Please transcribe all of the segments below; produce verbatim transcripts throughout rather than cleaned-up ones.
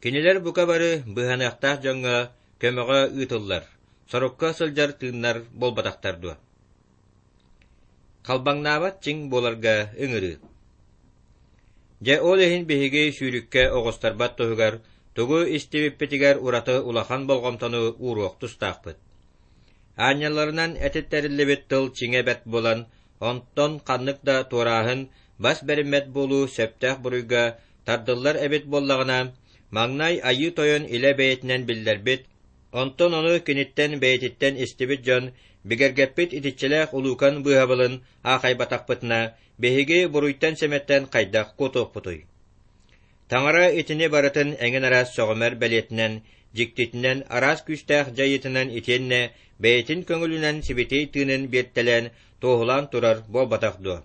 Кинилэр бука бары быыһаныахтаах дьоҥҥо көмөҕө ыытыллар, сорукка сылдьар тыыннар буолбатахтар дуо? Халбаҥнаабат чиҥ буоларга ыҥырыы. Дьэ ол иһин биһиги сүүрүккэ оҕустарбат туһугар тугу истибиппитигэр ураты улахан болҕомтону ууруох тустаахпыт. Аанньалларынан этиттэриллибит тыл чиҥэ бэрт буолан, онтон ханнык да туорааһын, бас бэриммэт буолуу сөптөөх буруйга тардыллар эбит буоллаҕына, маҥнай Айыы Тойон илэ бэйэтинэн биллэрбит, онтон ону киниттэн бэйэтиттэн истибит дьон бигэргэппит итиччэлээх улуукан быыһабылын аахайбатахпытына, биһиги буруйтан-сэмэттэн хайдах куотуохпутуй? Таҥара итини барытын эҥин араас сөҕүмэр бэлиэтинэн, дьиктитинэн, араас күүстээх дьайыытынан итиэннэ бэйэтин көҥүлүнэн сибэтиэй тыынын биэртэлээн туоһулаан турар буолбатах дуо?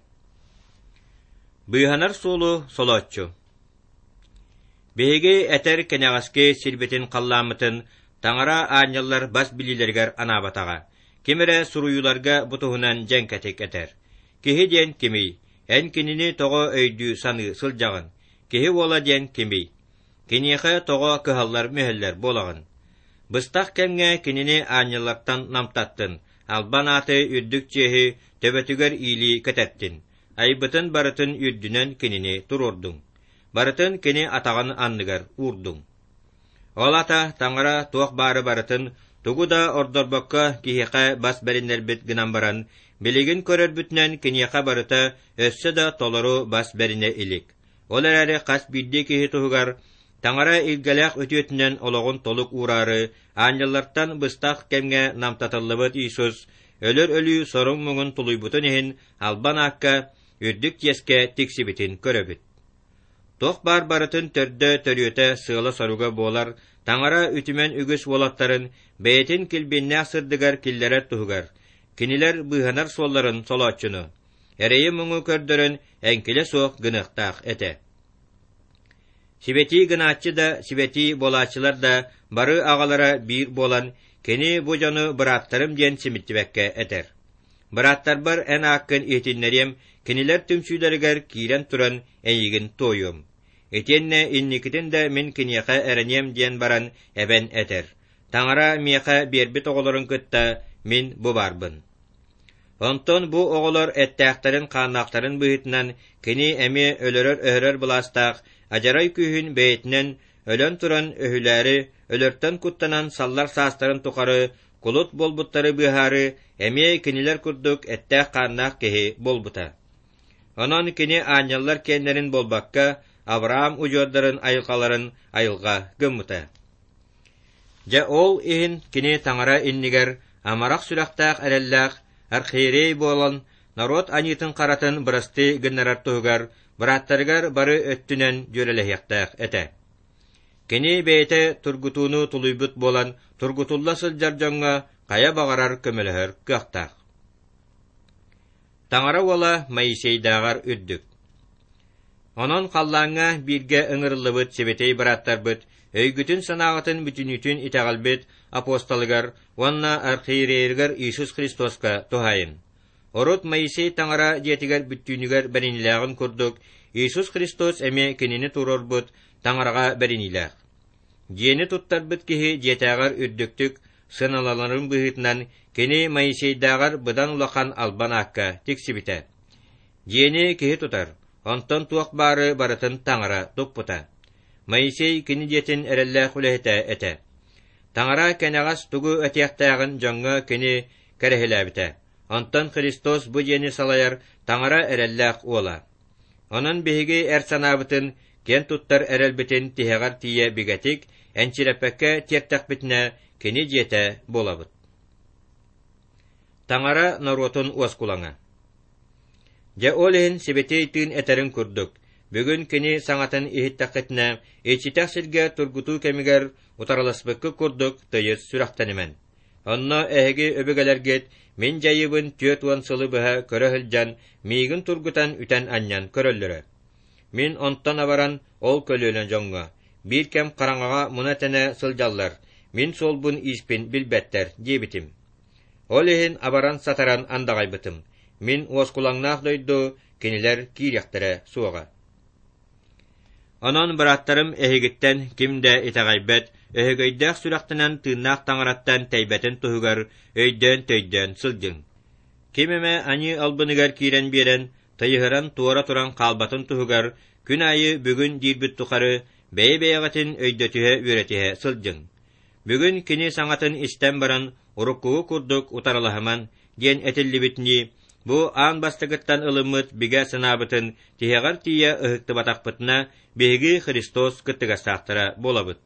Быыһанар суолу солооччу. Биһиги этэр кэнэҕэски сирбитин-халлааммытын Таҥара аанньаллар бас билиилэригэр анаабатаҕа. Ким эрэ суруйууларга бу туһунан дьэҥкэтик этэр. Киһи диэн кимий? Эн кинини тоҕо өйдүү-саныы сылдьаҕын? Киһи уола диэн кимий? Киниэхэ тоҕо кыһаллар-мүһэллэр буолаҕын? Быстах кэмҥэ кинини аанньаллартан намтаттын, албан ааты үрдүк чиэһи төбөтүгэр иилии кэтэттин, айбытын барытын үрдүнэн кинини туруордуҥ, барытын кини атаҕын анныгар уурдуҥ. Ол аата Таҥара туох баары барытын тугу да ордорбокко киһиэхэ бас бэриннэрбит гынан баран, билигин көрөрбүтүнэн киниэхэ барыта өссө да толору бас бэринэ илик. Ол эрээри хас биирдии киһи туһугар Таҥара илгэлээх үтүөтүнэн олоҕун толук уураары аанньаллартан быстах кэмҥэ намтатыллыбыт Иисус өлөр өлүү соруҥ-муҥун тулуйбутун иһин албан аакка үрдүк чиэскэ тиксибитин көрөбүт. Туох баар барытын төрдө төрүөтэ сыала-соруга буолар Таҥара үтүмэн үгүс уолаттарын бэйэтин килбиэннээх сырдыгар киллэрэр туһугар, кинилэр быыһанар суолларын солооччуну, эрэйи-муҥу көрдөрөн эҥкилэ суох гыныахтаах этэ. Сибэтии гынааччы да, сибэтии буолааччылар да бары аҕалара биир буолан, кини бу дьону бырааттарым диэн симиттибэккэ этэр. Бырааттарбар эн ааккын иһитиннэриэм, кинилэр түмсүүлэригэр киирэн туран эйигин туойуом. Итиэннэ инникитин да мин киниэхэ эрэниэм диэн баран эбэн этэр. Таҥара миэхэ биэрбит оҕолорун кытта мин бу баарбын. Онтон бу оҕолор эттээхтэрин-хааннаахтарын быһыытынан кини эмиэ өлөрөр-өһөрөр былаастаах адьарай күүһүн бэйэтинэн өлөн туран өһүлээри, өлөртөн куттанан саллар саастарын тухары кулут буолбуттары быыһаары эмиэ кинилэр курдук эттээх-хааннаах киһи буолбута. Онон кини аанньаллар киэннэрин буолбакка, Авраам удьуордарын айылҕаларын айылҕа гыммыта. Дьэ ол иһин кини Таҥара иннигэр амарах сүрэхтээх эрэллээх архиерей буолан, норуот аньыытын-харатын бырастыы гыннарар туһугар бырааттарыгар бары өттүнэн дьүөрэлэһиэхтээх этэ. Кини бэйэтэ тургутууну тулуйбут буолан, тургутулла сылдьар дьоҥҥо хайа баҕарар көмөлөһөр кыахтаах. Таҥара уола Моисейдааҕар үрдүк. Онон халлааҥҥа бииргэ ыҥырыллыбыт сибэтиэй бырааттарбыт өйгүтүн-санааҕытын бүтүннүүтүн итэҕэлбит апостолыгар уонна архиерейыгар Иисус Христоска туһаайын. Урут Моисей Таҥара дьиэтигэр бүттүүнүгэр бэриниилээҕин курдук, Иисус Христос эмиэ кинини туруорбут Таҥараҕа бэриниилээх. Дьиэни туттарбыт киһи дьиэтээҕэр үрдүктүк сыаналанарын быһыытынан кини Моисейдааҕар быдан улахан албан аакка тиксибитэ. Дьиэни киһи тутар, онтон туох баары барытын Таҥара туппута. Моисей кини дьиэтин эрэллээх үлэһитэ этэ. Таҥара кэнэҕэс тугу этиэхтээҕин дьоҥҥо кини кэрэһилээбитэ. Онтон Христос бу дьиэни салайар Таҥара эрэллээх уола. Онон биһиги эр санаабытын, киэн туттар эрэлбитин тиһэҕэр тиийэ бигэтик, энчирэппэккэ тиэртэхпитинэ, кини дьиэтэ буолабыт. Таҥара норуотун уоскулаҥа. Дьэ ол иһин Сибэтиэй Тыын этэрин курдук, бүгүн кини саҥатын иһиттэххитинэ, иччитэх сиргэ тургутуу кэмигэр утарыласпыккыт курдук тыйыс сүрэхтэнимэн. Онно эһиги өбүгэлэргит мин дьайыыбын түөрт уон сылы быһа көрө сылдьан, миигин тургутан үтэн-анньан көрөллөрө. Мин онтон абаран ол көлүөнэ дьоҥҥо, биир кэм хараҥаҕа муна-тэнэ сылдьаллар, мин суолбун-ииспин билбэттэр диэбитим. Ол иһин абаран-сатаран андаҕайбытым, мин уоскулаҥнаах дойду кинилэр киириэхтэрэ суоҕа. Онон, бырааттарым, эһигиттэн ким да итэҕэйбэт, өһөгөйдөөх сүрэхтэнэн тыыннаах таҥараттан тэйбэтин туһугар өйдөөн-төйдөөн сылдьыҥ. Ким эмэ аньыы албыныгар киирэн биэрэн, тыйыһыран туора туран хаалбатын туһугар күн аайы бүгүн диирбит тухары бэйэ-бэйэҕитин өйдөтүһэ-үөрэтиһэ сылдьыҥ. Бүгүн кини саҥатын истэн баран, уруккугу курдук утарылаһыман диэн этиллибитинии, бу аан бастакыттан ылыммыт бигэ санаабытын тиһэҕэр тиийэ ыһыктыбатахпытына, биһиги Христос кыттыгастаахтара буолабыт.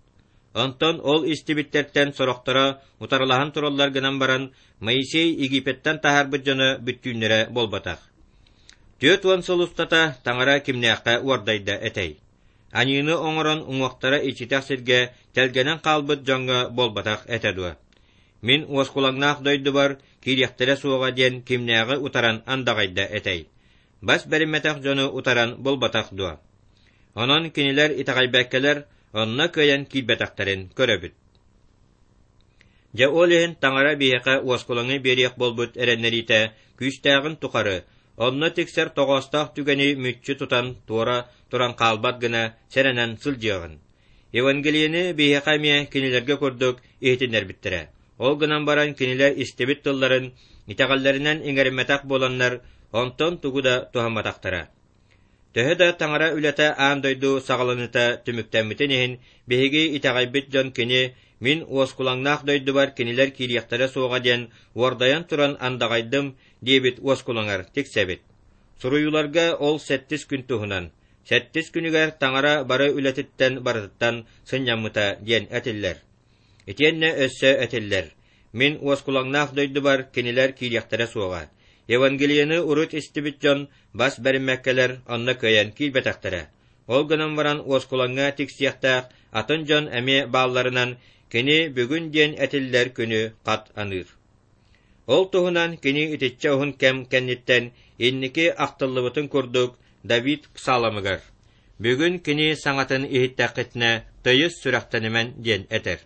Онтон ол истибиттэртэн сорохторо утарылаһан тураллар гынан баран, Моисей Египеттэн таһаарбыт дьоно бүттүүннэрэ буолбатах. Түөрт уон сыл устата Таҥара кимнээххэ уордайда этэй? Аньыыны оҥорон уҥуохтара иччитэх сиргэ тэлгэнэн хаалбыт дьоҥҥо буолбатах этэ дуо? Мин уоскулаҥнаах дойдубар киириэхтэрэ суоҕа диэн кимнээҕи утаран андаҕайда этэй? Бас бэриммэтэх дьону утаран буолбатах дуо? Онон кинилэр итэҕэйбэккэлэр онно кыайан киирбэтэхтэрин көрөбүт. Дьэ ол иһин Таҥара биһиэхэ уоскулаҥы биэриэх буолбут эрэннэриитэ күүстээҕин тухары, онно тиксэр тоҕоостоох түгэни мүччү тутан туора туран хаалбат гына сэрэнэн сылдьыаҕын. Евангелиены биһиэхэ эмиэ кинилэргэ курдук иһитиннэрбиттэрэ. Ол гынан баран кинилэр истибит тылларын итэҕэллэринэн иҥэриммэтэх буоланнар, онтон тугу да туһамматахтара. Төһө да Таҥара үлэтэ аан дойду саҕаланыыта түмүктэммитин иһин, биһиги итэҕэйбит дьон кини «Мин уоскулаҥнаах дойдубар кинилэр киириэхтэрэ суоҕа» диэн уордайан туран андаҕайдым диэбит уоскулаҥар тиксэбит. Суруйууларга ол сэттис күн туһунан, сэттис күнүгэр Таҥара бары үлэтиттэн барытыттан сынньаммыта диэн этиллэр. Итиэннэ өссө этиллэр: «Мин уоскулаҥнаах дойдубар кинилэр киириэхтэрэ суоҕа». Евангелиены урут истибит дьон бас бэриммэккэлэр онно кыайан киирбэтэхтэрэ. Ол гынан баран уоскулаҥҥа тиксиэхтээх атын дьон эмиэ баалларынан кини бүгүн диэн этиллэр күнү хат аныыр. Ол туһунан кини итиччэ уһун кэм кэнниттэн инники ахтыллыбытын курдук Давид псаломыгар «Бүгүн кини саҥатын иһиттэххитинэ тыйыс сүрэхтэнимэн» диэн этэр.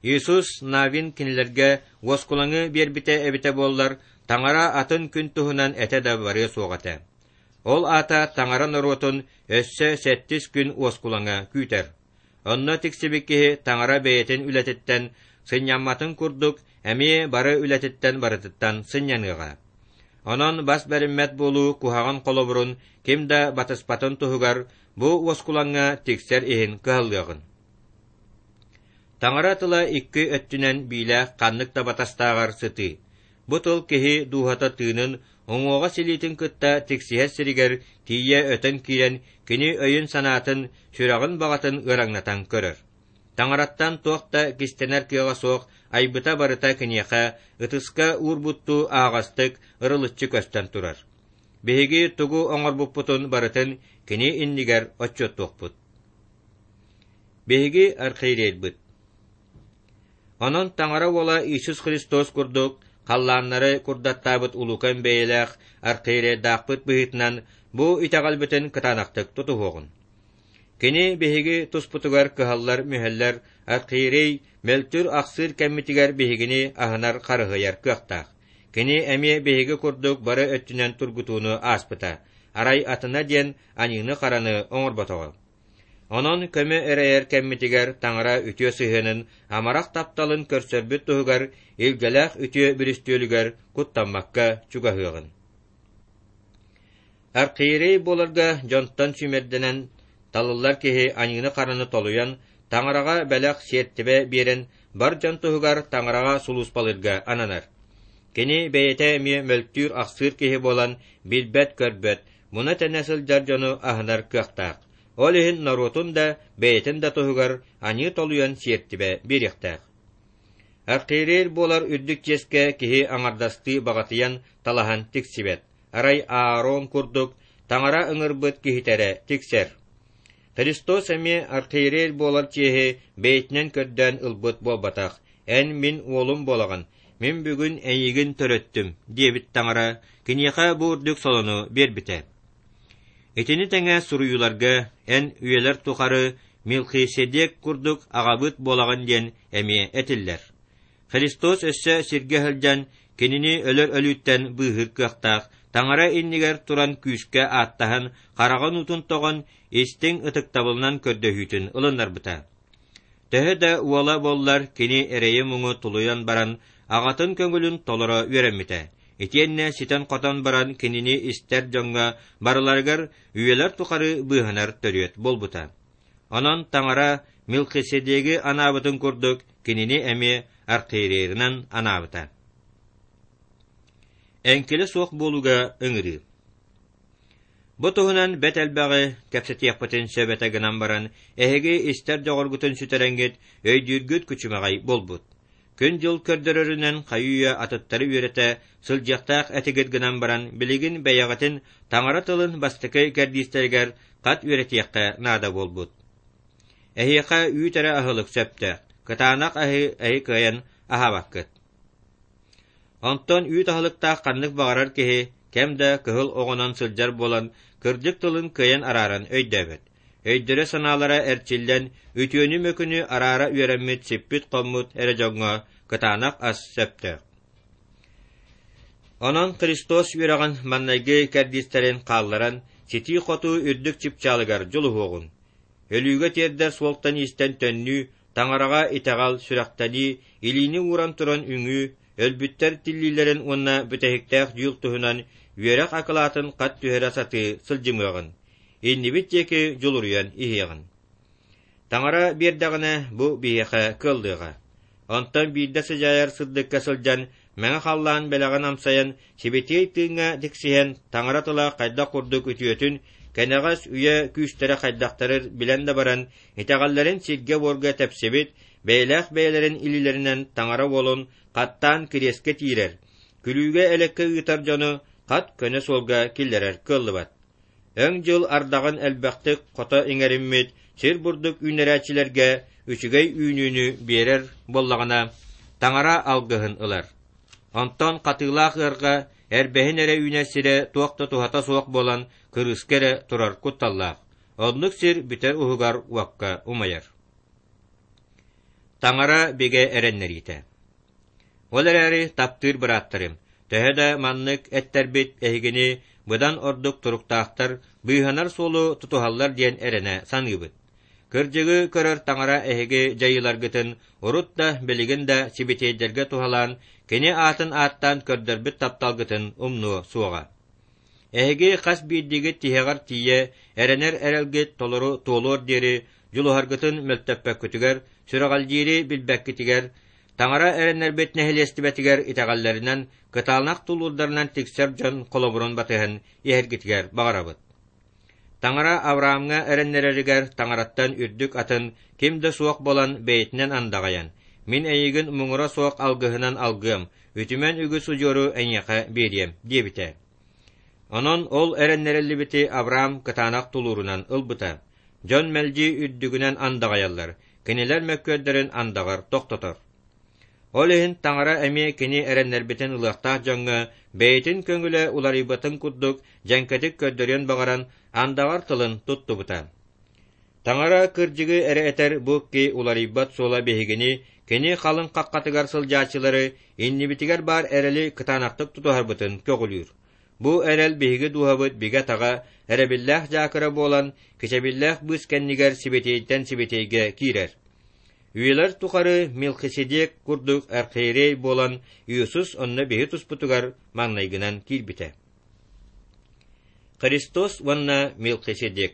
Иисус Навин кинилэргэ уоскулаҥы биэрбитэ эбитэ буоллар, Таҥара атын күн туһунан этэ да барыа суох этэ. Ол аата Таҥара норуотун өссө сэттис күн уоскулаҥа күүтэр. Онно тиксибит киһи Таҥара бэйэтин үлэтиттэн сынньамматын курдук эмиэ бары үлэтиттэн барытыттан сынньаныаҕа. Онон бас бэриммэт буолуу куһаҕан холобурун ким да батыспатын туһугар бу уоскулаҥҥа тиксэр иһин кыһаллыаҕын. Таҥара тыла икки өттүнэн биилээх ханнык да батастааҕар сытыы. Бу тыл киһи дууһата тыынын, уҥуоҕа силиитин кытта тиксиһэр сиригэр тиийэ өтөн киирэн кини өйүн-санаатын, сүрэҕин баҕатын ыараҥнатан көрөр. Таҥараттан туох да кистэнэр кыаҕа суох айбыта барыта киниэхэ ытыска уурбуттуу аһаҕастык ырылыччы көстөн турар. Биһиги тугу оҥорбуппутун барытын кини иннигэр отчуоттуохпут. Биһиги архиерейбыт. Онон Таҥара уола Иисус Христос курдук халлааннары курдаттаабыт улуукан бэйэлээх архиерейдаахпыт быһыытынан бу итэҕэлбитин кытаанахтык тутуһуоҕун. Кини биһиги туспутугар кыһаллар-мүһэллэр архиерей мөлтүүр-ахсыыр кэммитигэр биһигини аһынар-харыһыйар кыахтаах. Кини эмиэ биһиги курдук бары өттүнэн тургутууну ааспыта, арай атына диэн аньыыны-хараны оҥорботоҕо. Онон көмө эрэйэр кэммитигэр Таҥара үтүө сыһыанын, амарах тапталын көрсөрбүт туһугар илгэлээх үтүө бүрүстүөлүгэр куттаммакка чугаһыаҕын. Архиерей буоларга дьонтон сүүмэрдэнэн талыллар киһи аньыыны-хараны толуйан, Таҥараҕа бэлэх сиэртибэ биэрэн, бар дьон туһугар Таҥараҕа сулууспалыырга ананар. Кини бэйэтэ эмиэ мөлтүүр-ахсыыр киһи буолан билбэт-көрбөт, муна-тэнэ сылдьар дьону аһынар кыахтаах. Ол иһин норуотун да, бэйэтин да туһугар аньыы толуйан сиэртибэ биэриэхтээх. Архиерей буолар үрдүк чиэскэ киһи аҥардастыы баҕатыйан талаһан тиксибэт, арай Аарон курдук Таҥара ыҥырбыт киһитэ тиксэр. Христос эмиэ архиерей буолар чиэһи бэйэтинэн көрдөөн ылбыт буолбатах, «Эн мин уолум буолаҕын, мин бүгүн эйигин төрөттүм» диэбит Таҥара киниэхэ бу үрдүк солону биэрбитэ. Итини тэҥэ суруйууларга «Эн үйэлэр тухары Мелхиседек курдук аҕабыт буолаҕын» диэн эмиэ этиллэр. Христос өссө сиргэ сылдьан кинини өлөр өлүүттэн быыһыыр кыахтаах Таҥара иннигэр туран күүскэ ааттаһан, хараҕын уутун тоҕон, истиҥ ытыктабылынан көрдөһүүтүн ылыннарбыта. Төһө да уола буоллар, кини эрэйи-муҥу тулуйан баран, аҕатын көҥүлүн толоро үөрэммитэ. Итиэннэ ситэн-хотон баран кинини истэр дьоҥҥо барыларыгар үйэлэр тухары быыһанар төрүөт буолбута. Онон Таҥара Мелхиседеги анаабытын курдук кинини эмиэ архиерейынан анаабыта. Эҥкилэ суох буолууга ыҥырыы. Бу туһунан бэт элбэҕи кэпсэтиэхпитин сөп этэ гынан баран, эһиги истэр дьоҕургутун сүтэрэҥҥит, өйдүүргүт күчүмэҕэй буолбут. Күн-дьыл көрдөрөрүнэн хайыы-үйэ атыттары үөрэтэ сылдьыахтаах этигит гынан баран, билигин бэйэҕитин Таҥара тылын бастакы кэрдиистэригэр хат үөрэтиэххэ наада буолбут. Эһиэхэ үүт эрэ аһылык сөптөөх, кытаанах аһы эһи кыайан аһаабаккыт. Онтон үүт аһылыктаах ханнык баҕарар киһи кэм да кыһыл оҕонон сылдьар буолан, кырдьык тылын кыайан арааран өйдөөбөт. Өйдөрө-санаалара эрчиллэн, үтүөнү-мөкүнү араара үөрэммит сиппит-хоммут эрэ дьоҥҥо кытаанах ас сөптөөх. Онон Христос үөрэҕин маҥнайгы кэрдиистэрин хаалларан, ситии-хотуу үрдүк чыпчаалыгар дьулуһуоҕун. Өлүүгэ тиэрдэр суолтан-иистэн төннүү, Таҥараҕа итэҕэл, сүрэхтэнии, илиини ууран туран үҥүү, өлбүттэр тиллиилэрин уонна бүтэһиктээх дьүүл туһунан үөрэх акылаатын хат түһэрэ сатыы сылдьымыаҕын, иннибит диэки дьулуруйан иһиэҕин. Таҥара биэрдэҕинэ, бу биһиэхэ кыаллыаҕа. Онтон биирдэ сыдьаайар сырдыкка сылдьан, мэҥэ халлаан бэлэҕин амсайан, сибэтиэй тыыҥҥа тиксиһэн, Таҥара тыла хайдах курдук үтүөтүн, кэнэҕэс үйэ күүстэрэ хайдахтарын билэн да баран, итэҕэллэрин сиргэ-буорга тэпсибит, бэйэлээх бэйэлэрин илиилэринэн Таҥара уолун хаттаан кириэскэ тиирэр, күлүүгэ-элэккэ ыытар дьону хат көнө суолга киллэрэр кыаллыбат. Өҥ дьыл ардаҕын элбэхтик хото иҥэриммит сир бурдук үүннэрээччилэргэ үчүгэй үүнүүнү биэрэр буоллаҕына, Таҥара алгыһын ылар. Онтон хатыылаах ыарҕа эрбэһин эрэ үүнэр сирэ туох да туһата суох буолан кырыыска эрэ турар кутталлаах. Оннук сир бүтэр уһугар уокка умайар. Таҥара бигэ эрэннэриитэ. Ол эрээри таптыыр бырааттарым, төһө да маннык эттэрбит эһигини быдан ордук туруктаахтар, быыһанар суолу тутуһаллар диэн эрэнэ саныыбыт. Кырдьыгы көрөр Таҥара эһиги дьайыыларгытын урут да, билигин да сибэтиэйдэргэ туһалаан, кини аатын ааттаан көрдөрбүт тапталгытын умнуо суоҕа. Эһиги хас биирдиигит тиһэҕэр тиийэ эрэнэр эрэлгит толору туолуор диэри дьулуһаргытын мөлтөппөккүтүгэр, сүрэҕэлдьиири билбэккитигэр, Таҥара эрэннэрбит нэһилиэстибэтигэр итэҕэллэринэн, кытаанах тулуурдарынан тиксэр дьон холобурун батыһан иһэргитигэр баҕарабыт. Таҥара Авраамҥа эрэннэрэригэр Таҥараттан үрдүк атын ким да суох буолан бэйэтинэн андаҕайан, «Мин эйигин муҥура суох алгыһынан алгыам, үтүмэн үгүс удьуору эйиэхэ биэриэм» диэбитэ. Онон ол эрэннэриллибити Авраам кытаанах тулуурунан ылбыта. Дьон мэлдьи үрдүгүнэн андаҕайаллар, кинилэр мөккүөрдэрин андаҕар тохтотор. Ол иһин Таҥара эмиэ кини эрэннэрбитин ылыахтаах дьоҥҥо бэйэтин көҥүлэ уларыйбатын курдук дьэҥкэтик көрдөрүөн баҕаран андаҕар тылын туттубута. Таҥара кырдьыгы эрэ этэр бу икки уларыйбат суола биһигини, кини халыҥ хаххатыгар сылдьааччылары, иннибитигэр баар эрэли кытаанахтык тутуһарбытын көҕүлүүр. Бу эрэл биһиги дууһабыт бигэ-таҕа, эрэбиллээх дьаакыра буолан, кичэбиллээх быыс кэннигэр сибэтиэйтэн сибэтиэйгэ киирэр. Үйэлэр тухары Мелхиседек курдук архиерей буолан Иисус онно биһи туспутугар маҥнайгынан киирбитэ. Христос уонна Мелхиседек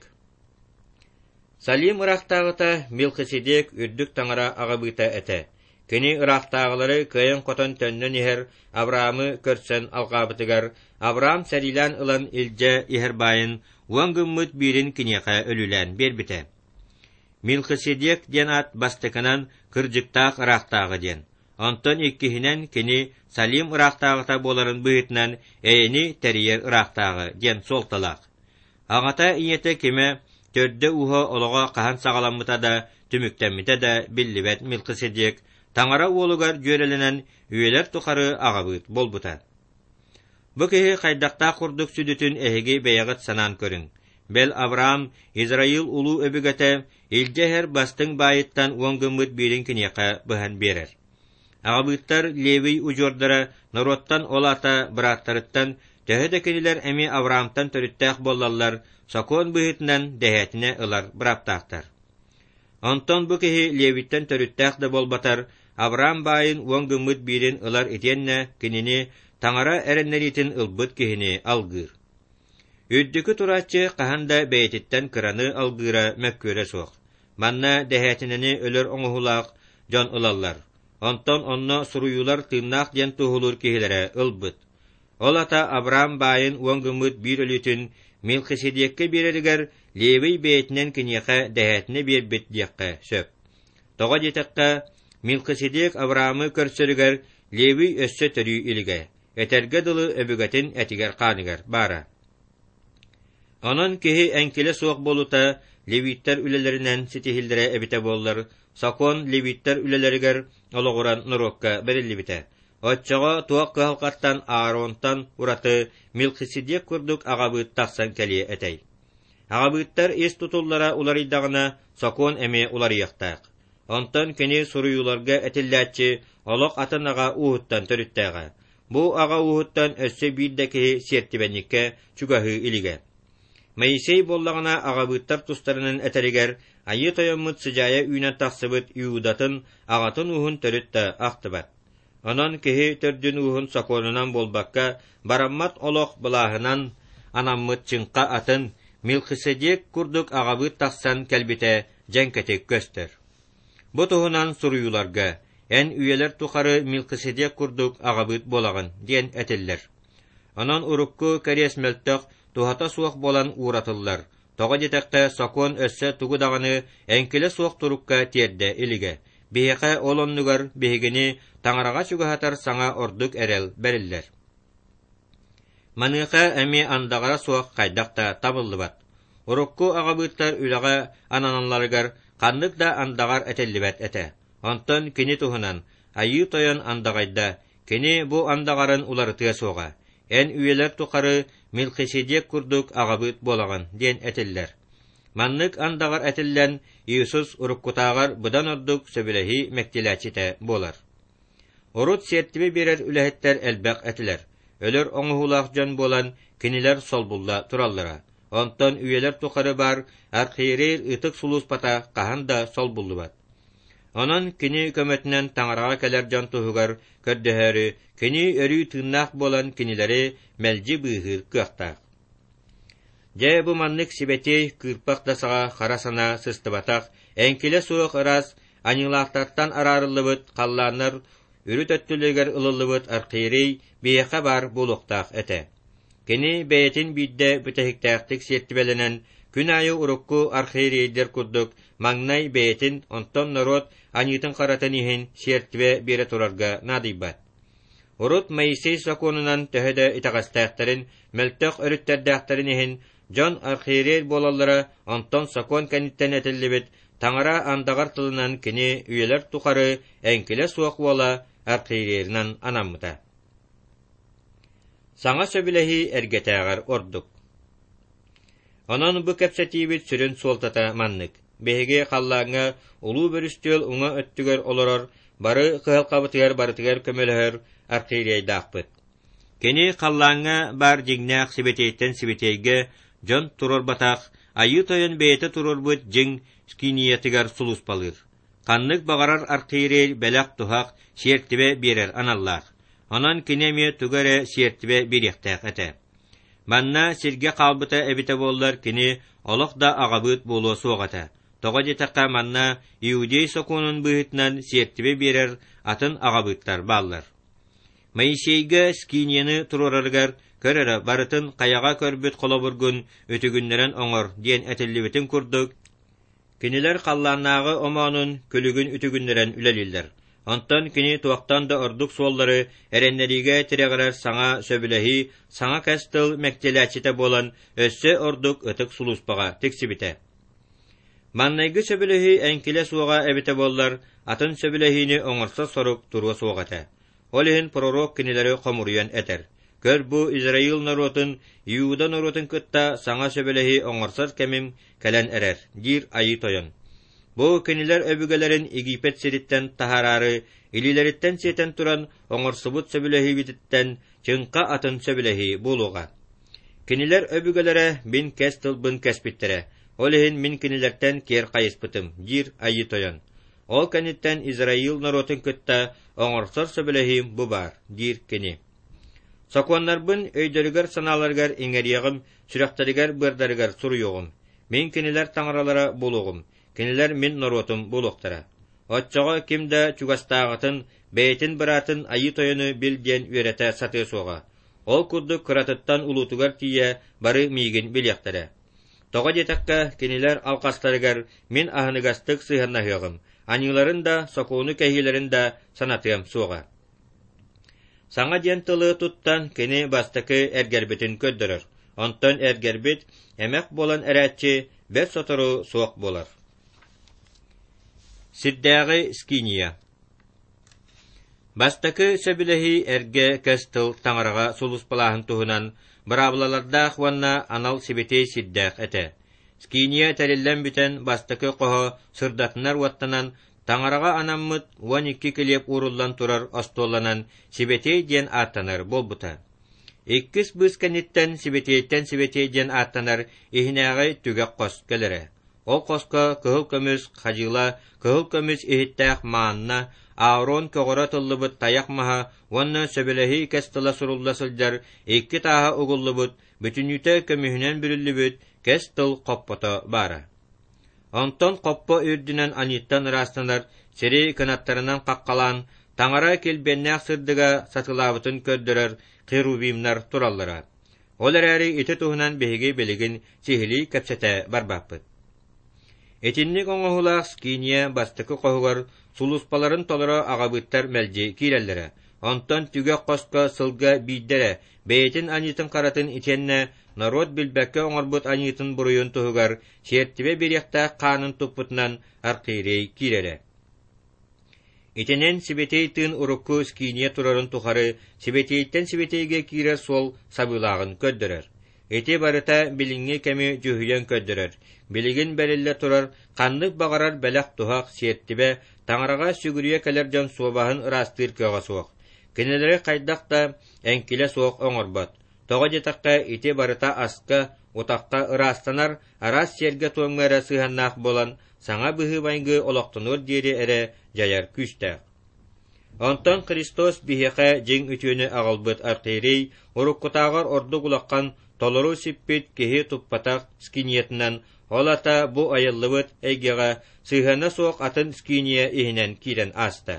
Салим ыраахтааҕыта Мелхиседек үрдүк таҥара аҕабыыта этэ. Кини ыраахтааҕылары кыайан-хотон төннөн иһэр Авраамы көрсөн алҕаабытыгар Авраам сэриилээн ылан илдьэ иһэр баайын уон гыммыт биирин киниэхэ өлүүлээн биэрбитэ. Мелхиседек диэн аат бастакынан кырдьыктаах ыраахтааҕы диэн, онтон иккиһинэн кини Салим ыраахтааҕыта буоларын быһыытынан эйэни тэрийэр ыраахтааҕы диэн суолталаах. Аҕата ийэтэ кимэ, төрдө-ууһа олоҕо хаһан саҕаламмыта да, түмүктэммитэ да биллибэт Мелхиседек Таҥара уолугар дьүөрэлэнэн үйэлэр тухары аҕабыыт буолбута. Бу киһи хайдахтаах курдук сүдүтүн эһиги бэйэҕит санаан көрүҥ. Бэл Авраам, Израил улуу өбүгэтэ, илдьэ иһэр бастыҥ баайыттан уон гыммыт биирин киниэхэ быһан биэрэр. Аҕабыыттар Левий удьуордара норуоттан ол аата бырааттарыттан Төһө да кинилэр эмиэ Авраамтан төрүттээх буоллаллар, сокуон быһыытынан дэһээтинэ ылар бырааптаахтар. Онтон бу киһи Левиттэн төрүттээх да буолбатар, Авраам баайын уон гыммыт биирин ылар итиэннэ кинини Таҥара эрэннэриитин ылбыт киһини алгыыр. Үрдүкү турааччы хаһан да бэйэтиттэн кыраны алгыыра мөккүөрэ суох. Манна дэһээтинэни өлөр оҥоһуулаах дьон ылаллар. Онтон онно суруйуулар тыыннаах диэн туоһулуур киһилэрэ ылбыт. Ол ата Авраам баайын уон гыммыт биир өлүүтүн Мелхиседеккэ биэрэригэр Левий бэйэтинэн киниэхэ дэһээтинэ биэрбит диэххэ сөп. Тоҕо диэтэххэ, Мелхиседек Авраамы көрсөрүгэр Левий өссө төрүү илигэ, этэргэ дылы өбүгэтин этигэр-хааныгар баара. Онон киһи эҥкилэ суох буолуута левиттэр үлэлэринэн ситиһиллэрэ эбитэ буоллар, сокуон левиттэр үлэлэригэр олоҕуран норуокка бэриллибитэ. Оччоҕо туох кыһалҕаттан Ааронтан ураты Мелхиседек курдук аҕабыыт тахсан кэлиэ этэй. Аҕабыыттар ис тутуллара уларыйдаҕына, сокуон эмиэ уларыйыахтаах. Онтон кини суруйууларга этиллээччи олох атын аҕа ууһуттан төрүттээҕэ. Бу аҕа ууһуттан өссө биир да киһи сиэртибэнньиккэ чугаһыы илигэ. Моисей буоллаҕына аҕабыыттар тустарынан этэригэр Айыы Тойоммут сыдьаайа үүнэн тахсыбыт Иудатын аҕатын ууһун төрүт да ахтыбат. Онон киһи төрдүн ууһун сокуонунан буолбакка, бараммат олох былааһынан анаммыт чыҥха атын Мелхиседек курдук аҕабыыт тахсан кэлбитэ дьэҥкэтик көстөр. Бу туһунан суруйууларга «Эн үйэлэр тухары Мелхиседек курдук аҕабыыт буолаҕын» диэн этиллэр. Онон урукку кэриэс мөлтөх, туһата суох буолан ууратыллар. Тоҕо диэтэххэ, сокуон өссө тугу даҕаны эҥкилэ суох турукка тиэрдэ илигэ. Биһиэхэ ол оннугар биһигини Таҥараҕа чугаһатар саҥа ордук эрэл бэриллэр. Маныаха эмиэ андаҕара суох хайдах да табыллыбат. Урукку аҕабыыттар үлэҕэ ананалларыгар ханнык да андаҕар этиллибэт этэ. Онтон кини туһунан Айыы Тойон андаҕайда, кини бу андаҕарын уларытыа суоҕа. Эн үйэлэр тухары Мелхиседек курдук аҕабыыт буолаҕын диэн этиллэр. Маннык андаҕар этиллэн Иисус уруккутааҕар быдан ордук сөбүлэһии мэктиэлээччитэ буолар. Урут сиэртибэ биэрэр үлэһиттэр элбэх этилэр. Өлөр оҥоһуулаах дьон буолан кинилэр солбулла тураллара. Онтон үйэлэр тухары баар архиерей ытык сулууспата хаһан да солбуллубат. Онон кини көмөтүнэн Таҥараҕа кэлэр дьон туһугар көрдөһөөрү, кини өрүү тыыннаах буолан кинилэри мэлдьи быыһыыр кыахтаах. Дьэ бу маннык сибэтиэй кыырпах да саҕа хара санаа сыстыбатах, эҥкилэ суох ыраас аньыылаахтартан араарыллыбыт халлааннар үрүт өттүлэригэр ылыллыбыт архиерей биһиэхэ баар буолуохтаах этэ. Кини бэйэтин биирдэ бүтэһиктээхтик сиэртибэлэнэн, күн аайы урукку архиерейдэр курдук маҥнай бэйэтин, онтон норуот аньыытын-харатын иһин сиэртибэ биэрэ турарга наадыйбат. Урут Моисей сокуонунан төһө да итэҕэстээхтэрин, мөлтөх өрүттэрдээхтэрин иһин дьон архиерей буолаллара, онтон сокуон кэнниттэн этиллибит Таҥара андаҕар тылынан кини үйэлэр тухары эҥкилэ суох уола архиерейынан анаммыта. Саҥа сөбүлэһии эргэтээҕэр ордук. Онон бу кэпсэтиибит сүрүн суолтата маннык. Биһиги халлааҥҥа улуу бөрүстүөл уҥа өттүгэр олорор, бары кыһалҕабытыгар барытыгар көмөлөһөр архиерейдаахпыт. Кини халлааҥҥа баар дьиҥнээх сибэтиэйтэн сибэтиэйгэ дьон туруорбатах, Айыы Тойон бэйэтэ туруорбут дьиҥ скиниятыгар сулууспалыыр. Ханнык баҕарар архиерей бэлэх-туһах, сиэртибэ биэрэр аналлаах. Онон кини эмиэ тугу эрэ сиэртибэ биэриэхтээх этэ. Манна сиргэ хаалбыта эбитэ буоллар кини олох да аҕабыыт буолуо суох этэ. Тоҕо диэтэххэ манна иудей сокуонун быһыытынан сиэртибэ биэрэр атын аҕабыыттар бааллар. Моисейга скинияны туруорарыгар көр эрэ барытын хайаҕа көрбүт холобургун үтүгүннэрэн оҥор диэн этиллибитин курдук, кинилэр халлааннааҕы омоонун күлүгүн үтүгүннэрэн үлэлииллэр. Онтон кини туохтан да ордук суоллары эрэннэриигэ тирэҕирэр саҥа сөбүлэһии, саҥа кэс тыл мэктиэлээччитэ буолан өссө ордук ытык сулууспаҕа тиксибитэ. Маннайгы сөбүлэһии эҥкилэ суоҕа эбитэ буоллар, атын сөбүлэһиини оҥорсор сорук туруо суох этэ. Ол иһин пророк кинилэри хомуруйан этэр: «Көр бу Израил норуотун, Иуда норуотун кытта саҥа сөбүлэһии оҥорсор кэмим кэлэн эрэр», диир Айыы Тойон. Бу кинилэр өбүгэлэрин Египет сириттэн таһаараары, илиилэриттэн сиэтэн туран оҥорсубут сөбүлэһиибититтэн чыҥха атын сөбүлэһии буолуоҕа. Кинилэр өбүгэлэрэ мин кэс тылбын кэспиттэрэ, ол иһин мин кинилэртэн киэр хайыспытым, диир Айыы Тойон. Ол кэнниттэн Израил норуотун кытта оҥорсор сөбүлэһиим бу баар, диир кини. Сокуоннарбын өйдөрүгэр-санааларыгар иҥэриэҕим, сүрэхтэригэр-быардарыгар суруйуоҕум. Мин кинилэр таҥаралара буолуоҕум, кинилэр мин норуотум буолуохтара. Оччоҕо ким да чугастааҕытын, бэйэтин быраатын Айыы Тойону бил диэн үөрэтэ сатыа суоҕа. Ол курдук кыратыттан улуутугар тиийэ бары миигин билиэхтэрэ. Тоҕо диэтэххэ, кинилэр алҕастарыгар мин аһыныгастык сыһыаннаһыаҕым, аньыыларын да, сокуону кэһиилэрин да санатыам суоҕа. Саҥа диэн тылы туттан кини бастакы эргэрбитин көрдөрөр. Онтон эргэрбит, эмэх буолан эрээччи бэрт сотору суох буолар. Сирдээҕи скиния. Бастакы сөбүлэһии эргэ кэс тыл таҥараҕа сулууспалааһын туһунан быраабылалардаах уонна анал сибэтиэй сирдээх этэ. Скиния тэриллэн бүтэн бастакы хоһо сырдатынар уоттанан таҥараҕа анаммыт уон икки килиэп ууруллан турар остуолланан сибэтиэй диэн ааттанар буолбута. Иккис быыс кэнниттэн сибэтиэйтэн сибэтиэй диэн ааттанар иһинээҕи түгэх хос кэлэрэ. Ол хоско кыһыл көмүс хадьыла, кыһыл көмүс иһиттээх маанна, Аарон көҕөрө тыллыбыт тайах маһа уонна сөбүлэһии кэс тыла сурулла сылдьар икки тааһа угуллубут, бүтүннүүтэ көмүһүнэн бүрүллүбүт кэс тыл хоппото баара. Онтон хоппо үрдүнэн аньыыттан ыраастанар сири кынаттарынан хаххалаан, таҥара килбиэннээх сырдыга сатылаабытын көрдөрөр херувимнар тураллара. Ол эрээри ити туһунан биһиги билигин сиһилии кэпсэтэ барбаппыт. Итинник оҥоһуулаах скиния бастакы хоһугар сулууспаларын толоро аҕабыттар мэлдьи киирэллэрэ. Онтон түгэх хоско сылга биирдэрэ бэйэтин аньыытын харатын итиэннэ норуот билбэккэ оҥорбут аньыытын буруйун туһугар сиэртибэ биэриэхтээх хаанын туппутунан архиерей киирэрэ. Итинэн сибэтиэй тыын урукку скиния турарын тухары сибэтиэйтэн сибэтиэйгэ киирэр суол сабыылааҕын көрдөрөр. Ити барыта билиҥҥи кэми дьүһүйэн көрдөрөр. Билигин бэриллэ турар ханнык баҕарар бэлэх-туһах сиэртибэ таҥараҕа сүгүрүйэ кэлэр дьон суобаһын ыраастыыр кыаҕа суох. Кинилэри хайдах да эҥкилэ суох оҥорбот. Тоҕо диэтэххэ, ити барыта аска, утахха ыраастанар араас сиэргэ-туомҥа эрэ сыһыаннаах буолан, саҥа быһыы-майгы олохтонуор диэри эрэ дьайар күүстээх. Онтон Христос биһиэхэ дьиҥ үтүөнү аҕалбыт архиерей уруккутааҕар ордук улахан толору сиппит киһи туппатах скиниятынан, ол ата бу айыллыбыт эйгэҕэ сыһыана суох атын скиния иһинэн киирэн ааста.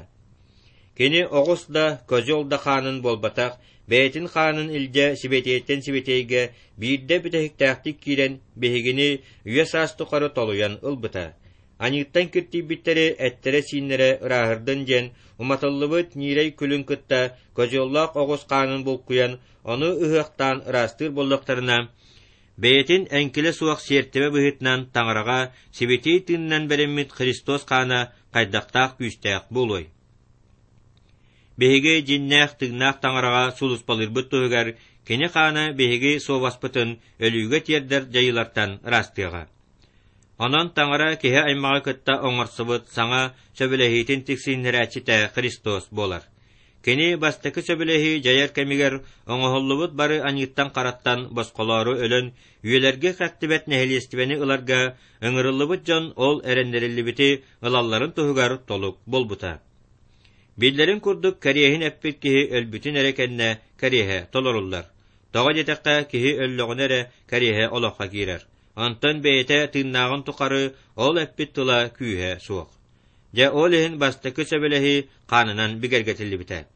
Кини оҕус да, козел да хаанын буолбатах, бэйэтин хаанын илдьэ сибэтиэйтэн сибэтиэйгэ биирдэ бүтэһиктээхтик киирэн биһигини үйэ саас тухары толуйан ылбыта. Аньыыттан киртийбиттэри эттэрэ-сииннэрэ ырааһырдын диэн уматыллыбыт ньиирэй күлүн кытта козеллаах оҕус хаанын булкуйан, ону ыһыахтаан ыраастыыр буоллахтарына, бэйэтин эҥкилэ суох сиэртибэ быһыытынан таҥараҕа сибэтиэй тыынынан бэриммит Христос хаана хайдахтаах күүстээх буолуой? Биһиги дьиннээх тыыннаах таҥараҕа сулууспалыырбыт туһугар кини хаана биһиги суобаспытын өлүүгэ тиэрдэр дьайыылартан ыраастыаҕа. Онон таҥара киһи аймаҕы кытта оҥорсубут саҥа сөбүлэһиитин тиксииннэрээччитэ Христос буолар. Кини бастакы сөбүлэһии дьайар кэмигэр оҥоһуллубут бары аньыыттан-хараттан босхолоору өлөн, үйэлэргэ хэттибэт нэһилиэстибэни ыларга ыҥырыллыбыт дьон ол эрэннэриллибити ылалларын туһугар толук буолбута. Биллэрин курдук кэриэһин эппит киһи өлбүтүн эрэ кэннэ кэриэһэ толоруллар. Тоҕо диэтэххэ, киһи өллөҕүнэ эрэ кэриэһэ олоххо киирэр. Онтон бэйэтэ тыыннааҕын тухары ол эппит тыла күүһэ суох. Дьэ ол иһин бастакы сөбүлэһии хаанынан бигэргэтиллибитэ.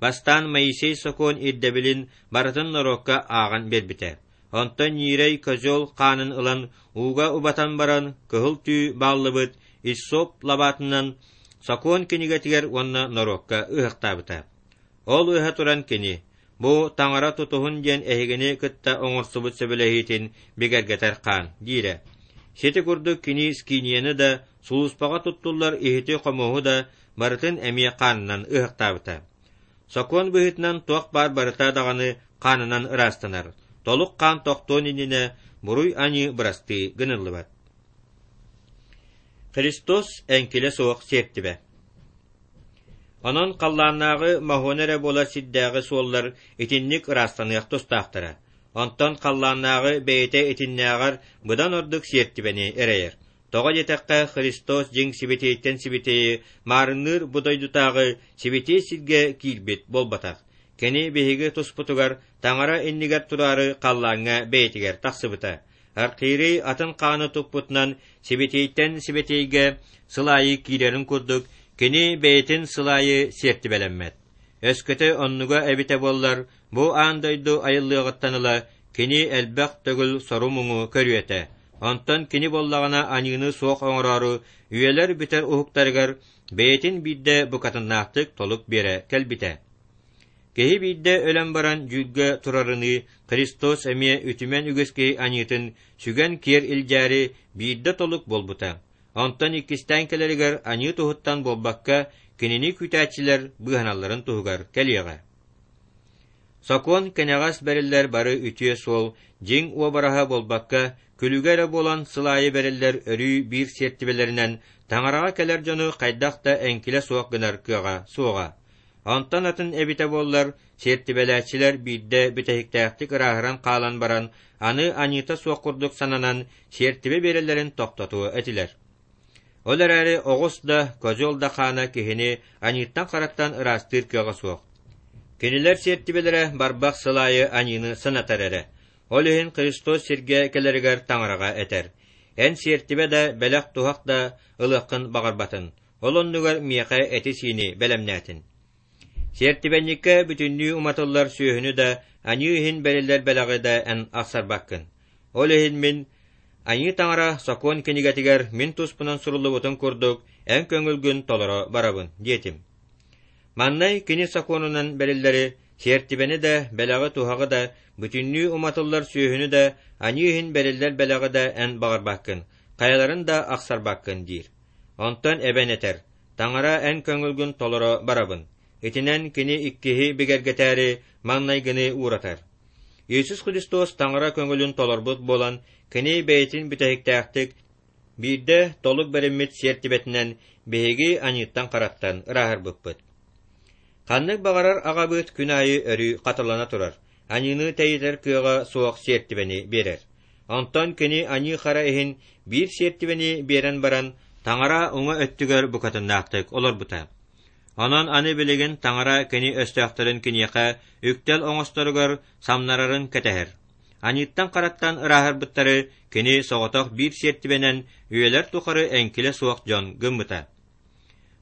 Бастаан Моисей сокуон ирдэбилин барытын норуокка ааҕан биэрбитэ. Онтон ньиирэй козел хаанын ылан ууга убатан баран кыһыл түү бааллыбыт иссоп лабаатынан сокуон кинигэтигэр уонна норуокка ыһыахтаабыта. Ол ыһа туран кини «Бу таҥара тутуһун диэн эһигини кытта оҥорсубут сөбүлэһиитин бигэргэтэр хаан» диирэ. Сити курдук кини скинияны да, сулууспаҕа туттуллар иһити-хомуоһу да барытын эмиэ хаанынан ыһыахтаабыта. Сокуон быһыытынан туох баар барыта даҕаны хаанынан ыраастанар. Толук хаан тохтуон иннинэ буруй-аньыы бырастыы гыныллыбат. Христос эҥкилэ суох сиэртибэ. Онон халлааннааҕы моһуона эрэ буолар сирдээҕи суоллар итинник ыраастаныах тустаахтара. Онтон халлааннааҕы бэйэтэ итиннээҕэр быдан ордук сиэртибэни эрэйэр. Тоҕо диэтэххэ, Христос дьиҥ сибэтиэйтэн сибэтиэйи маарынныыр бу дойдутааҕы сибэтиэй сиргэ киирбит буолбатах. Кини биһиги туспутугар Таҥара иннигэр тураары халлааҥҥа бэйэтигэр тахсыбыта. Архиерей атын хааны туппутунан сибэтиэйтэн сибэтиэйгэ сыл аайы киирэрин курдук, кини бэйэтин сыл аайы сиэртибэлэммэт. Өскөтө оннуга эбитэ буоллар, бу аан дойду айыллыаҕыттан ыла кини элбэх төгүл сору-муҥу көрүө этэ. Онтон кини буоллаҕына аньыыны суох оҥороору үйэлэр бүтэр уһуктарыгар бэйэтин биирдэ букатыннаахтык толук биэрэ кэлбитэ. Киһи биирдэ өлөн баран дьүүлгэ турарыныы Христос эмиэ үтүмэн үгүс киһи аньыытын сүгэн киэр илдьээри биирдэ толук буолбута. Онтон иккистээн кэлэригэр аньыы туһуттан буолбакка, кинини күүтээччилэр быыһаналларын туһугар кэлиэҕэ. Сокуон кэнэҕэс бэриллэр бары үтүө суол дьиҥ уобараһа буолбакка, күлүгэ эрэ буолан сыл аайы бэриллэр өрүү биир сиэртибэлэринэн Таҥараҕа кэлэр дьону хайдах да эҥкилэ суох гынар кыаҕа суоҕа. Онтон атын эбитэ буоллар, сиэртибэлээччилэр биирдэ бүтэһиктээхтик ырааһыран хаалан баран, аны аньыыта суох курдук сананан, сиэртибэ биэрэллэрин тохтотуо этилэр. Ол эрээри оҕус да, козел да хаана киһини аньыыттан-хараттан ыраастыыр кыаҕа суох. Кинилэр сиэртибэлэрэ барбах сыл аайы аньыыны санатар эрэ. Ол иһин Христос сиргэ кэлэригэр Таҥараҕа этэр: «Эн сиэртибэ да, бэлэх-туһах да ылыаххын баҕарбатын, ол оннугар миэхэ эти-сиини бэлэмнээтин». Сиэртибэнньиккэ бүтүннүү уматыллар сүөһүнү да, аньыы иһин бэриллэр бэлэҕи да эн ахсарбаккын. Ол иһин мин Айыы Таҥара сокуон кинигэтигэр мин туспунан суруллубутун курдук, эн көҥүлгүн толоро барабын, диэтим. Маннай кини сокуонунан бэриллэри, сиэртибэни да, бэлэҕи-туһаҕы да, бүтүннүү уматыллар сүөһүнү да, аньыы иһин бэриллэр бэлэҕи да эн баҕарбаккын, хайаларын да ахсарбаккын диир. Онтон эбэн этэр: Таҥара эн көҥүлгүн толоро барабын. Итинэн кини иккиһи бигэргэтээри маҥнайгыны ууратар. Иисус Христос Таҥара көҥүлүн толорбут буолан, кини бэйэтин бүтэһиктээхтик биирдэ толук бэриммит сиэртибэтинэн биһиги аньыыттан-хараттан ырааһырбыппыт. Ханнык баҕарар аҕабыт күн аайы өрүү хатылана турар, аньыыны тэйитэр кыаҕа суох сиэртибэни биэрэр. Онтон кини аньыы-хара иһин биир сиэртибэни биэрэн баран, Таҥара уҥа өттүгэр букатыннаахтык олорбута. Онон аны билигин Таҥара кини өстөөхтөрүн киниэхэ үктэл оҥосторугар самнарарын кэтэһэр. Аньыыттан-хараттан ырааһырбыттары кини соҕотох биир сиэртибэнэн үйэлэр тухары эҥкилэ суох дьон гыммыта.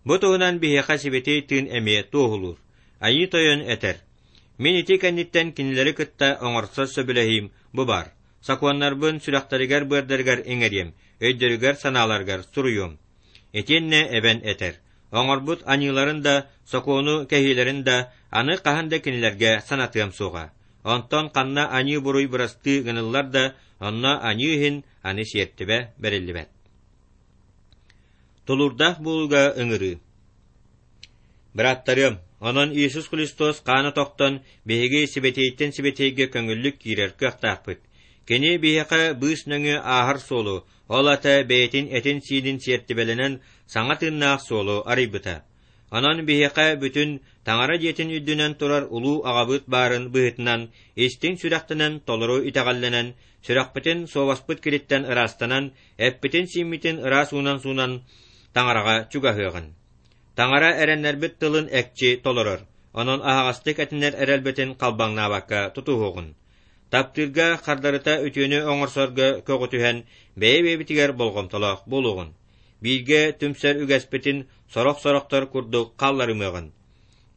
Бу туһунан биһиэхэ Сибэтиэй Тыын эмиэ туоһулуур. Айыы Тойон этэр: «Мин ити кэнниттэн кинилэри кытта оҥорсор сөбүлэһиим бу баар. Сокуоннарбын сүрэхтэригэр-быардарыгар иҥэриэм, өйдөрүгэр-санааларыгар суруйуом». Итиэннэ эбэн этэр: «Оҥорбут аньыыларын да, сокуону кэһиилэрин да аны хаһан да кинилэргэ санатыам суоҕа. Онтон ханна аньыы-буруй бырастыы гыныллар да, онно аньыы иһин аны сиэртибэ бэриллибэт». Тулуурдаах буолууга ыҥырыы. Бырааттарыам, онон Иисус Христос хаана тохтон, биһиги сибэтиэйтэн сибэтиэйгэ көҥүллүк киирэр кыахтаахпыт. Кини биһиэхэ быыс нөҥүө ааһар суолу, ол аата бэйэтин этин-сиинин сиэртибэлэнэн саҥа тыыннаах суолу арыйбыта. Онон биһиэхэ бүтүн Таҥара дьиэтин үрдүнэн турар улуу аҕабыт баарын быһыытынан истиҥ сүрэхтэнэн толору итэҕэллэнэн, сүрэхпитин суобаспыт кириттэн ыраастанан, эппитин-сииммитин ыраас уунан суунан Таҥараҕа чугаһыаҕын. Таҥара эрэннэрбит тылын экчи толорор, онон аһаҕастык этинэр эрэлбитин халбаҥнаабакка тутуһуоҕун. Таптыырга хардарыта үтүөнү оҥорсорго көҕүтүһэн, бэйэ-бэйэбитигэр болҕомтолоох буолуоҕун. Бииргэ түмсэр үгэспитин сорох-сорохтор курдук хаалларымыаҕын.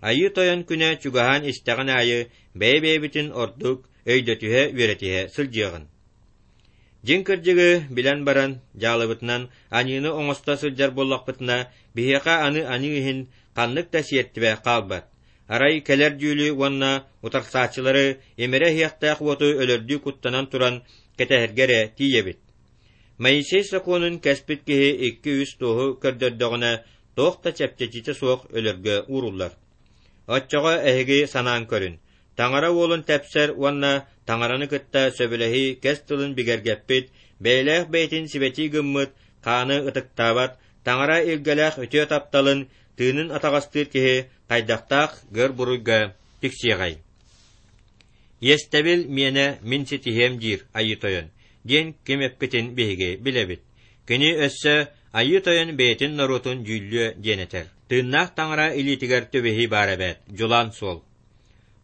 Айыы Тойон күнэ чугаһаан истэҕин аайы бэйэ-бэйэбитин ордук өйдөтүһэ-үөрэтиһэ сылдьыаҕын. Дьиҥ кырдьыгы билэн баран, дьаалыбытынан аньыыны оҥосто сылдьар буоллахпытына, биһиэхэ аны аньыы иһин ханнык да сиэртибэ хаалбат. Арай кэлэр дьүүлү уонна утарсааччылары имэрэ иһиэхтээх уоту өлөрдүү куттанан туран кэтэһэргэ эрэ тиийэбит. Моисей сокуонун кэспит киһи икки-үс туоһу көрдөрдөҕүнэ, туох да чэпчэтиитэ суох өлөргө ууруллар. Оччоҕо эһиги санаан көрүн, Таҥара уолун тэпсэр уонна Таҥараны кытта сөбүлэһии кэс тылын бигэргэппит, бэйэлээх бэйэтин сибэтии гыммыт, хааны ытыктаабат, Таҥара илгэлээх үтүө тапталын тыынын атаҕастыыр киһи хайдахтаах гөр буруйга тиксиэҕэй? Иэстэбил миэнэ мин ситиһиэм диир Айыы Тойон, диэн ким эппитин биһиги билэбит. Кини өссө Айыы Тойон бэйэтин норуотун дьүүллүө диэн этэр. Тыыннаах Таҥара илиитигэр түбэһии баар эбээт, дьулаан суол.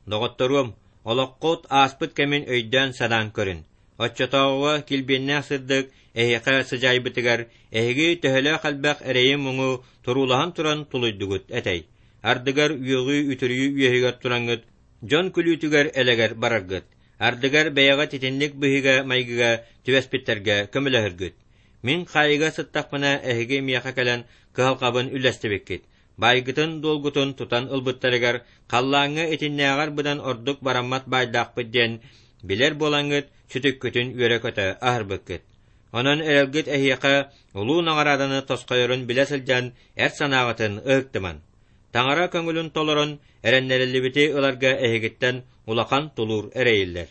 Доҕотторуом, олоххут ааспыт кэмин өйдөөн-санаан көрүн. Оччотооҕуга килбиэннээх сырдык эһиэхэ сыдьаайбытыгар эһиги төһөлөөх элбэх эрэйи-муҥу туруулаһан туран тулуйдугут этэй. Ардыгар үөҕүү-үтүрүйүү үөһүгэр тураҥҥыт дьон күлүүтүгэр-элэгэр бараргыт. Ардыгар бэйэҕит итинник быһыыга-майгыга түбэспиттэргэ көмөлөһөргүт. Мин хаайыыга сыттахпына эһиги миэхэ кэлэн кыһалҕабын үллэстибиккит. Баайгытын-дуолгутун тутан ылбыттарыгар халлааҥҥа итиннээҕэр быдан ордук бараммат баайдаахпыт диэн билэр буолаҥҥыт сүтүккүтүн үөрэ-көтө аһарбыккыт. Онон эрэлгит эһиэхэ улуу наҕарааданы тосхойорун билэ сылдьан эр санааҕытын ыһыктыман. Таҥара көҥүлүн толорон эрэннэриллибити ыларга эһигиттэн улахан тулуур эрэйиллэр.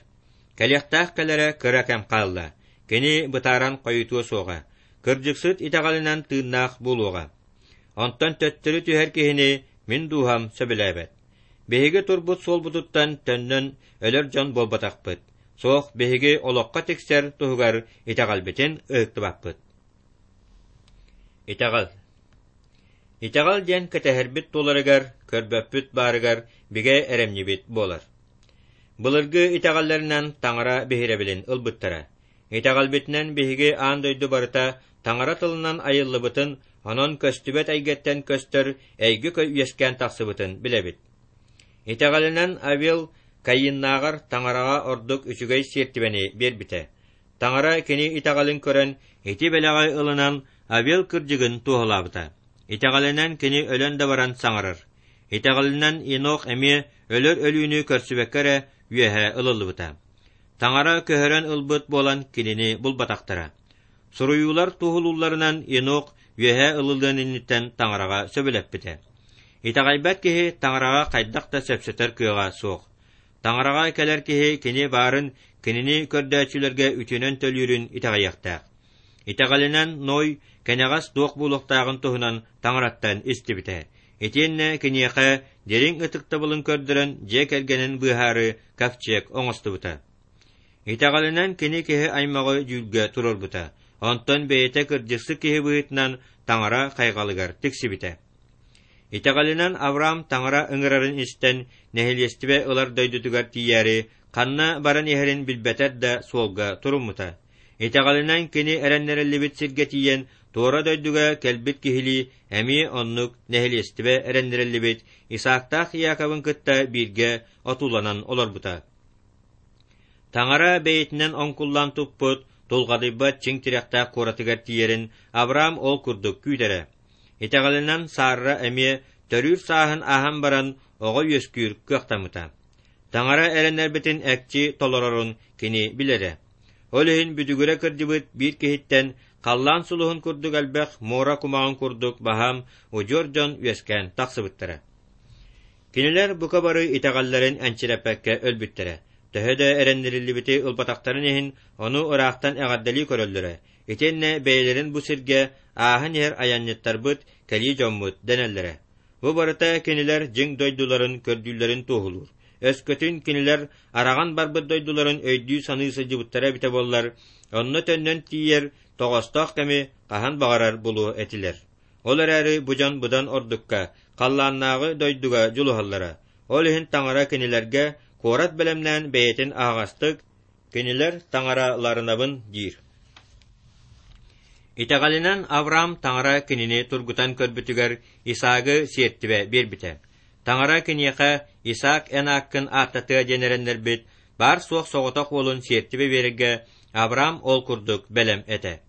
Кэлиэхтээх кэлэрэ кыра кэм хаалла. Кини бытааран хойутуо суоҕа, кырдьыксыт итэҕэлинэн тыыннаах буолуоҕа. Онтон төттөрү түһэр киһини мин дууһам сөбүлээбэт. Биһиги турбут суолбутуттан төннөн өлөр дьон буолбатахпыт. Суох, биһиги олоххо тиксэр туһугар итэҕэлбитин ыһыктыбаппыт. Итэҕэл. Итэҕэл диэн кэтэһэрбит туоларыгар, көрбөппүт баарыгар бигэ эрэмньибит буолар. Былыргы итэҕэллэринэн Таҥара биһирэбилин ылбыттара. Итэҕэлбитинэн биһиги аан дойду барыта Таҥара тылынан айыллыбытын, онон көстүбэт эйгэттэн көстөр эйгэ үөскээн тахсыбытын билэбит. Итэҕэлинэн Авел Каиннааҕар Таҥараҕа ордук үчүгэй сиэртибэни биэрбитэ. Таҥара кини итэҕэлин көрөн, ити бэлэҕи ылынан Авел кырдьыгын туоһулаабыта. Итэҕэлинэн кини өлөн да баран саҥарар. Итэҕэлинэн Енох эмиэ өлөр өлүүнү көрсүбэккэ эрэ үөһэ ылыллыбыта. Таҥара көһөрөн ылбыт буолан кинини булбатахтара. Суруйуулар туоһулуулларынан Енох үөһэ ылыллыан инниттэн Таҥараҕа сөбүлэппитэ. Итэҕэйбэт киһи Таҥараҕа хайдах да сөпсөтөр кыаҕа суох. Таҥараҕа кэлэр киһи кини баарын, кинини көрдөөччүлэргэ үтүөнэн төлүүрүн итэҕэйиэхтээх. Итэҕэлинэн Ной кэнэҕэс туох буолуохтааҕын туһунан Таҥараттан истибитэ. Итиэннэ киниэхэ дириҥ ытыктабылын көрдөрөн дьиэ кэргэнин быыһаары ковчег оҥостубута. Итэҕэлинэн кини киһи аймаҕы дьүүлгэ туруорбута, онтон бэйэтэ кырдьыксыт киһи быһыытынан Таҥара хайҕалыгар тиксибитэ. Итэҕэлинэн Авраам Таҥара ыҥырарын истэн, нэһилиэстибэ ылар дойдутугар тиийээри, ханна баран иһэрин билбэтэр да суолга туруммута. Итэҕэлинэн кини эрэннэриллибит сиргэ тиийэн, туора дойдуга кэлбит киһилии эмиэ оннук нэһилиэстибэ эрэннэриллибит Исаактаах Иаковын кытта бииргэ отууланан олорбута. Таҥара бэйэтинэн оҥкуллаан туппут, тулҕадыйбат чиҥ тирэхтээх куоратыгар тиийэрин Авраам ол курдук күүтэрэ. Итэҕэлинэн Сарра эмиэ төрүүр сааһын ааһан баран оҕо үөскүүр кыахтаммыта. Таҥара эрэннэрбитин экчи толорорун кини билэрэ. Ол иһин бүдүгүрэ кырдьыбыт биир киһиттэн халлаан сулуһун курдук элбэх муора кумаҕын курдук баһаам удьуор дьон үөскээн тахсыбыттара. Кинилэр бука бары итэҕэллэрин энчирэппэккэ өлбүттэрэ. Төһө да эрэннэриллибити ылбатахтарын иһин, ону ыраахтан эҕэрдэлии көрөллөрө. Итиэннэ бэйэлэрин бу сиргэ ааһан иһэр айанньыттарбыт, кэлии дьоммут дэнэллэрэ. Бу барыта кинилэр дьиҥ дойдуларын көрдүүллэрин туоһулуур. Өскөтүн кинилэр араҕан барбыт дойдуларын өйдүү-саныы сылдьыбыттара эбитэ буоллар, онно төннөн тиийэр тоҕоостоох кэми хаһан баҕарар булуо этилэр. Ол эрээри бу дьон быдан ордукка, халлааннааҕы дойдуга дьулуһаллара. Ол иһин Таҥара кинилэргэ куорат бэлэмнээн бэйэтин аһаҕастык «Кинилэр таҥараларынабын» диир. Итэҕэлинэн Авраам Таҥара кинини тургутан көрбүтүгэр Исаагы сиэртибэ биэрбитэ. Таҥара киниэхэ «Исаак эн ааккын ааттатыа» диэн эрэннэрбит баар-суох соҕотох уолун сиэртибэ биэрэргэ Авраам ол курдук бэлэм этэ.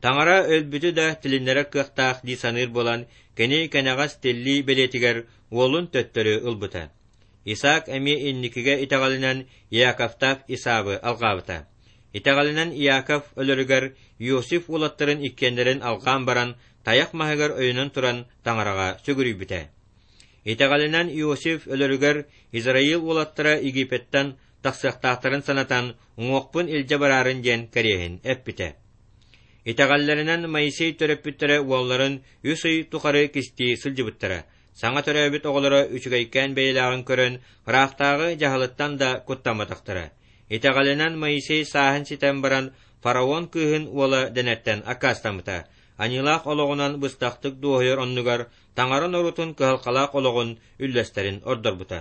Таҥара өлбүтү да тилиннэрэр кыахтаах дии саныыр буолан, кини кэнэҕэс тиллии бэлиэтигэр уолун төттөрү ылбыта. Исаак эмиэ инникигэ итэҕэлинэн Иаковтаах Исаавы алҕаабыта. Итэҕэлинэн Иаков өлөрүгэр Иосиф уолаттарын иккиэннэрин алҕаан баран, тайах маһыгар өйөнөн туран Таҥараҕа сүгүрүйбүтэ. Итэҕэлинэн Иосиф өлөрүгэр Израиль уолаттара Египеттэн тахсыахтаахтарын санатан, уҥуохпун илдьэ бараарын диэн кэриэһин эппитэ. Итэҕэллэринэн Моисей төрөппүттэрэ уолларын үс ый тухары кистии сылдьыбыттара, саҥа төрөөбүт оҕолоро үчүгэйкээн бэйэлээҕин көрөн, ыраахтааҕы дьаһалыттан да куттамматахтара. Итэҕэлинэн Моисей сааһын ситэн баран, фараон кыыһын уола дэнэртэн аккаастаммыта, аньыылаах олоҕунан быстахтык дуоһуйар оннугар Таҥара норуотун кыһалҕалаах олоҕун үллэстэрин ордорбута.